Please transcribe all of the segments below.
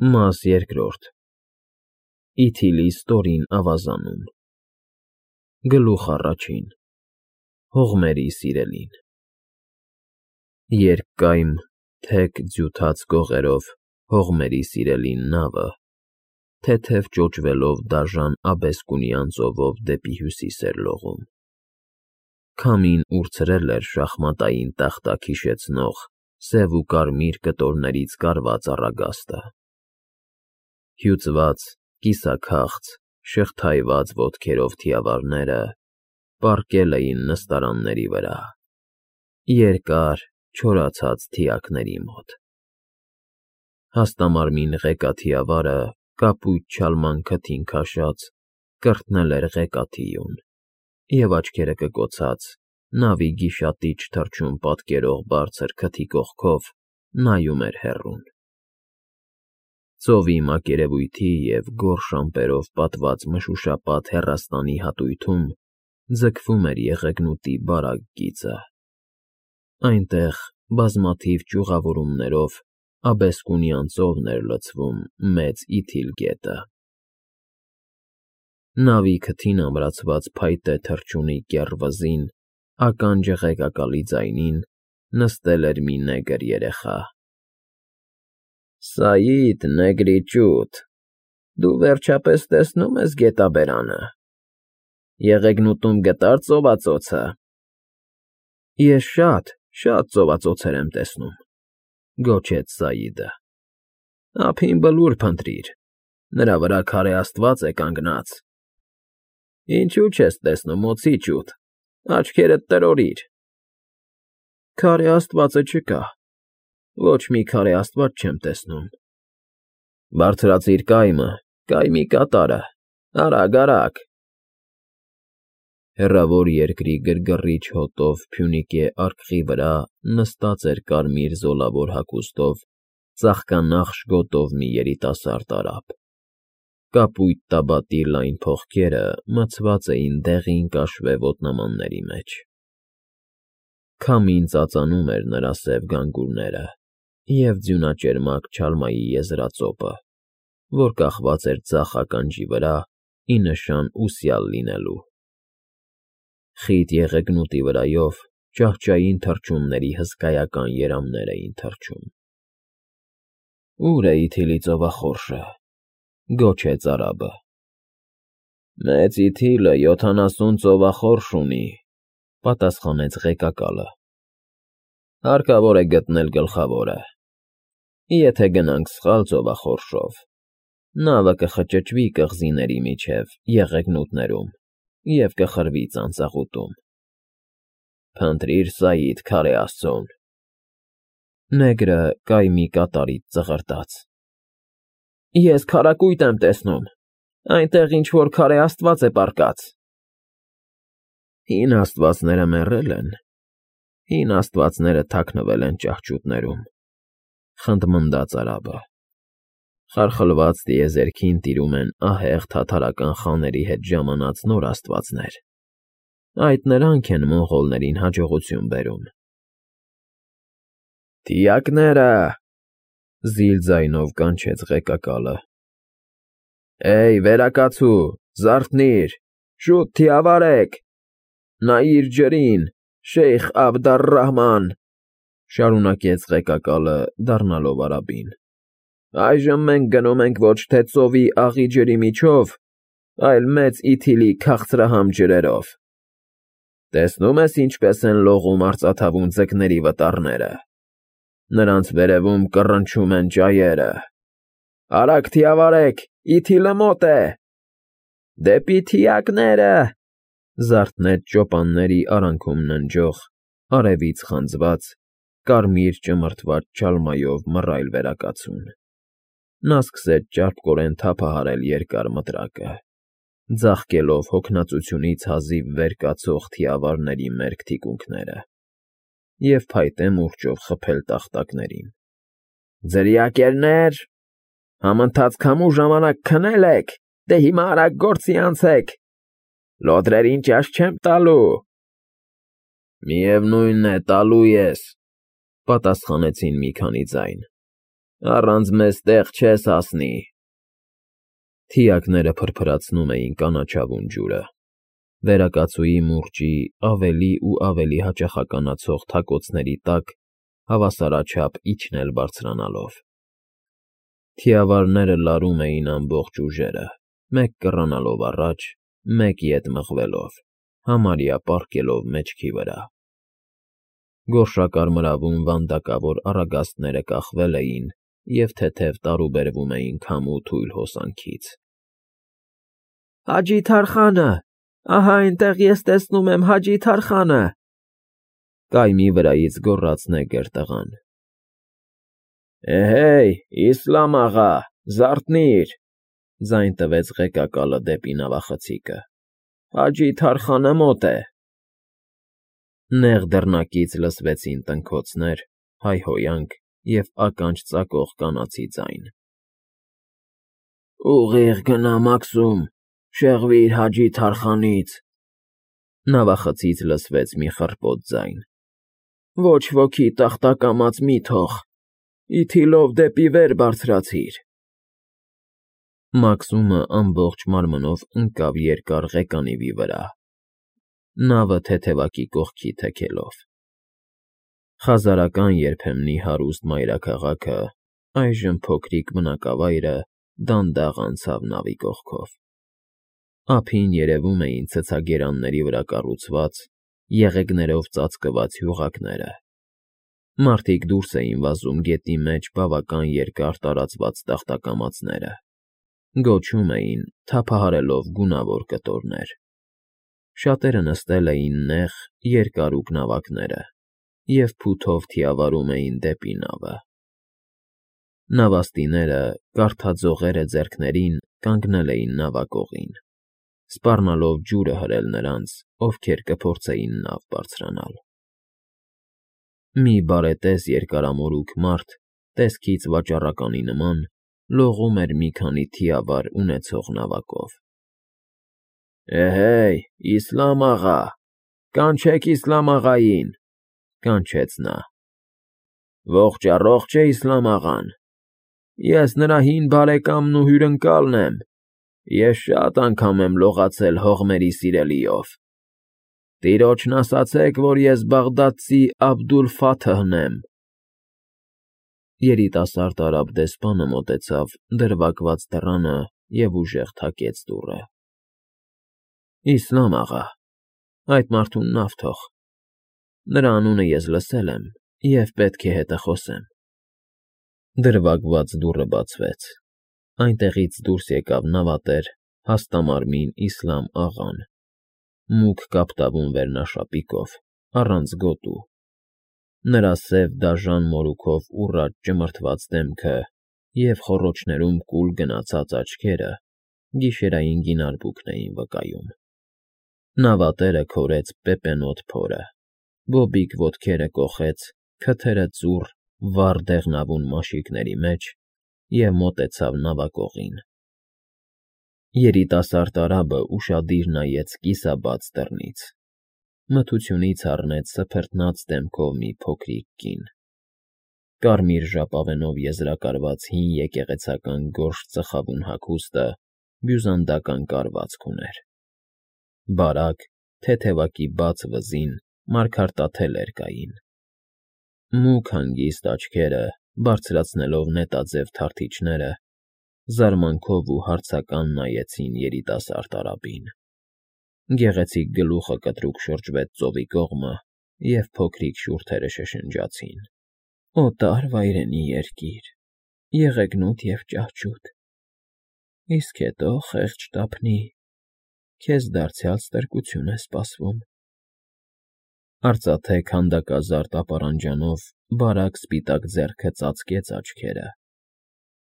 Մաս երկրորդ Իթիլի ստորին ավազանում Գլուխ առաջին Հողմերի սիրելին Երկկայմ թեք ձյութած գողերով հողմերի սիրելին նավը թեթև ճոճվելով դաժան աբեսկունյան ծովով դեպի հյուսիս էր լողում Քամին ուրցրել էր շախմատային տախտակ հիշեցնող սև ու կարմիր կտորներից կարված առագաստը Հյուծված, կիսաքաղց, շղթայված ոտքերով թիավարները պառկել էին նստարանների վրա, երկար, չորացած թիակների մոտ Հաստամարմին ղեկաթիավարը կապույտ չալման քթին քաշած կրտնել էր ղեկաթիուն և աչքերը կկոցած նավի գիշատիչ թռչուն պատկերող բարձր քթի կողքով նայում էր հեռուն Ծովի մակերևույթի և գորշ ամպերով պատված մշուշապատ հեռաստանի հատույթում ձգվում էր եղեգնուտի բարակ գիծը Այնտեղ բազմաթիվ ճյուղավորումներով աբեսկունյան ծովն էր լցվում Մեծ Իթիլ գետը Նավի քթին ամրացված փայտե թռչունի կեռ վզին ականջը ղեկակալի ձայնին նստել էր մի նեգր երեխա Սաիդ, նեգրիճուտ, դու վերջապես տեսնո՞ւմ ես գետաբերանը, եղեգնուտում գտա՞ր ծովածոցը Ես շատ ծովածոցեր եմ տեսնում, գոչեց Սաիդը Ափին բլուր փնտրիր, նրա վրա քարե աստված է կանգնած Ինչու չես տեսնում, օձի ջութ, աչքերդ տրորիր Քարե աստվածը չկա, ոչ մի քարե աստված չեմ տեսնում Բարձրացիր կայմը, կայմի կատարը, արագ Հեռավոր երկրի գրգռիչ հոտով Փյունիկե արկղի վրա նստած էր կարմիր զոլավոր հագուստով ծաղկանախշ գոտով մի երիտասարդ արաբ Կապույտ տաբատի լայն փողկերը մցված էին դեղին կաշվե ոտնամանների մեջ Քամին ծածանում էր նրա սև գանգուրները և ձյունաճերմակ չալմայի եզրածոպը, որ կախված էր ձախ ականջի վրա ի նշան ուսյալ լինելու Խիտ եղեգնուտի վրայով ճահճային թռչունների հսկայական երամներ էին թռչում Ո՞ւր է Իթիլի ծովախորշը, գոչեց արաբը Մեծ Իթիլը 70 ծովախորշ ունի, պատասխանեց ղեկակալը Հարկավոր է գտնել գլխավորը Եթե գնանք սխալ ծովախորշով, նավը կխճճվի կղզիների միջև եղեգնուտներում և կխրվի ծանծաղուտում Փնտրիր Սաիդ քարե աստծուն Նեգրը կայմի կատարից ծղրտաց Ես քարակույտ եմ տեսնում, այնտեղ ինչ-որ քարե աստված է պառկած Հին աստվածները մեռել են, հին աստվածները թաքնվել են ճահճուտներում, խնդմնդաց արաբը Խարխլված տիեզերքին տիրում են ահեղ թաթարական խաների հետ ժամանած նոր աստվածներ, այդ նրանք են մոնղոլներին հաջողություն բերում Դիակները, զիլ ձայնով կանչեց ղեկակալը Էյ, վերակացու, զարթնիր, շուտ թիավարեք, նայիր ջրին, Շեյխ Աբդառռահման, շարունակեց ղեկակալը դառնալով արաբին Այժմ մենք գնում ենք ոչ թե ծովի աղի ջրի միջով, այլ Մեծ Իթիլի քաղցրահամ ջրերով Տեսնում ես ինչպես են լողում արծաթավուն ձկների վտառները, նրանց վերևում կռնչում են ճայերը Արագ թիավարեք, Իթիլը մոտ է Դեպի թիակները, զարթնեց ճոպանների արանքում ննջող, արևից խանձված, կարմիր ճմրթված չալմայով մռայլ վերակացուն Նա սկսեց ճարպկորեն թափահարել երկար մտրակը, ձաղկելով հոգնածությունից հազիվ վեր կացող թիավարների մերկ թիկունքները և փայտե մուրճով խփել տախտակներին Ձրիակերներ, համընթաց քամու ժամանակ քնել եք, դե հիմա արագ գործի անցեք, լոդրերին ճաշ չեմ տալու Միևնույն է, տալու ես, պատասխանեցին մի քանի ձայն Առանց մեզ տեղ չես հասնի։ Թիակները փրփրացնում էին կանաչավուն ջուրը։ Վերակացուի մուրճի ավելի ու ավելի հաճախականացող թակոցների տակ հավասարաչափ իջնել բարձրանալով։ Թիավարները լարում էին ամբողջ ուժերը, մեկ կռանալով առաջ, մեկ ետ մղվելով, համարյա պառկելով մեջքի վրա։ Գորշակարմրավուն վանդակավոր առագաստները կախվել էին և թեթև տարուբերվում էին քամու թույլ հոսանքից։ Հաջի Թարխանը, ահա այնտեղ ես տեսնում եմ Հաջի Թարխանը, կայմի վրայից գոռաց նեգր տղան։ Էհեյ, Իսլամ աղա, զարթնի՛ր, ձայն տվեց ղեկակալը դեպի նավախցիկը, Հաջի Թարխանը մոտ է։ Նեղ դռնակից լսվեցին տնքոցներ, հայհոյանք և ականջ ծակող կանացի ձայն։ Ուղիղ գնա Մաքսում, շեղվիր Հաջի Թարխանից, նավախցից լսվեց մի խռպոտ ձայն։ Ոչ ոքի տախտակամած մի թող, ի թիլով դեպի վեր բարձրացիր։ Մաքսումը ամբողջ մարմնով ընկավ երկար ղեկանիվի վրա, նավը թեթևակի կողքի թեքելով։ Խազարական երբեմնի հարուստ մայրաքաղաքը, այժմ փոքրիկ բնակավայրը դանդաղ անցավ նավի կողքով։ Ափին երևում էին ցցագերանների վրա կառուցված, եղեգներով ծածկված հյուղակները։ Մարդիկ դուրս էին վազում գետի մեջ բավական երկար տարածված տախտակամածները, գոչում էին, թափահարելով գունավոր կտորներ։ Շատերը նստել էին նեղ, երկարուկ նավակները և փութով թիավարում էին դեպի նավը։ Նավաստիները, կարթաձողերը ձեռքներին, կանգնել էին նավակողին, սպառնալով ջուրը հրել նրանց, ովքեր կփորձեին նավ բարձրանալ։ Մի բարետես երկարամորուք մարդ, տեսքից վաճառականի նման, լողում էր մի քանի թիավար ունեցող նավակով։ Էհեյ, Իսլամ աղա, կանչեք Իսլամ աղային, կանչեց նա։ Ողջ առողջ է Իսլամ աղան։ Ես նրա հին բարեկամն ու հյուրընկալն եմ, ես շատ անգամ եմ լողացել հողմերի սիրելիով։ Տիրոջն ասացեք, որ ես Բաղդադցի Աբդուլ֊Ֆաթհն եմ։ Երիտասարդ արաբ դեսպանը մոտեցավ դրվագված դռանը և ուժեղ թակեց դուռը։ Իսլամ աղա, այդ մարդուն նավ թող։ Նրա անունը ես լսել եմ և պետք է հետը խոսեմ։ Դրվագված դուռը բացվեց։ Այնտեղից դուրս եկավ նավատեր, հաստամարմին Իսլամ աղան, մուգ կապտավուն վերնաշապիկով, առանց գոտու։ Նրա սև դաժան մորուքով ուռած ճմրթված դեմքը և խոռոչներում կուլ գնացած աչքերը գիշերային գինարբուքն էին վկայում։ Նավատերը քորեց պեպենոտ փորը, բոբիկ ոտքերը կոխեց, քթերը ծուռ, վառ դեղնավուն մաշիկների մեջ և մոտեցավ նավակողին։ Երիտասարդ արաբը ուշադիր նայեց կիսաբաց դռնից, մթությունից առնեց սփռտնած դեմքով մի փոքրիկ կին։ Կարմիր ժապավենով եզրակարված հին եկեղեցական գորշ ծխավուն հագուստը բյուզանդական կառվածք ուներ։ Բարակ, թեթևակի բաց վզին մարգարտաթելեր կային։ Մուգ հանգիստ աչքերը, բարձրացնելով նետաձև թարթիչները, զարմանքով ու հարցական նայեցին երիտասարդ արաբին։ Գեղեցիկ գլուխը կտրուկ շրջվեց ծովի կողմը, և փոքրիկ շուրթերը շշնջացին։ Օտար վայրենի երկիր, եղեգնուտ և ճահճուտ, իսկ հետո խեղճ տափնի, քեզ դարձյալ ստրկություն է սպասվում։ Արծաթե քանդակազարդ ապարանջանով բարակ սպիտակ ձեռքը ծածկեց աչքերը,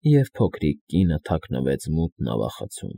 և փոքրիկ կինը թաքնվեց մութ նավախցում։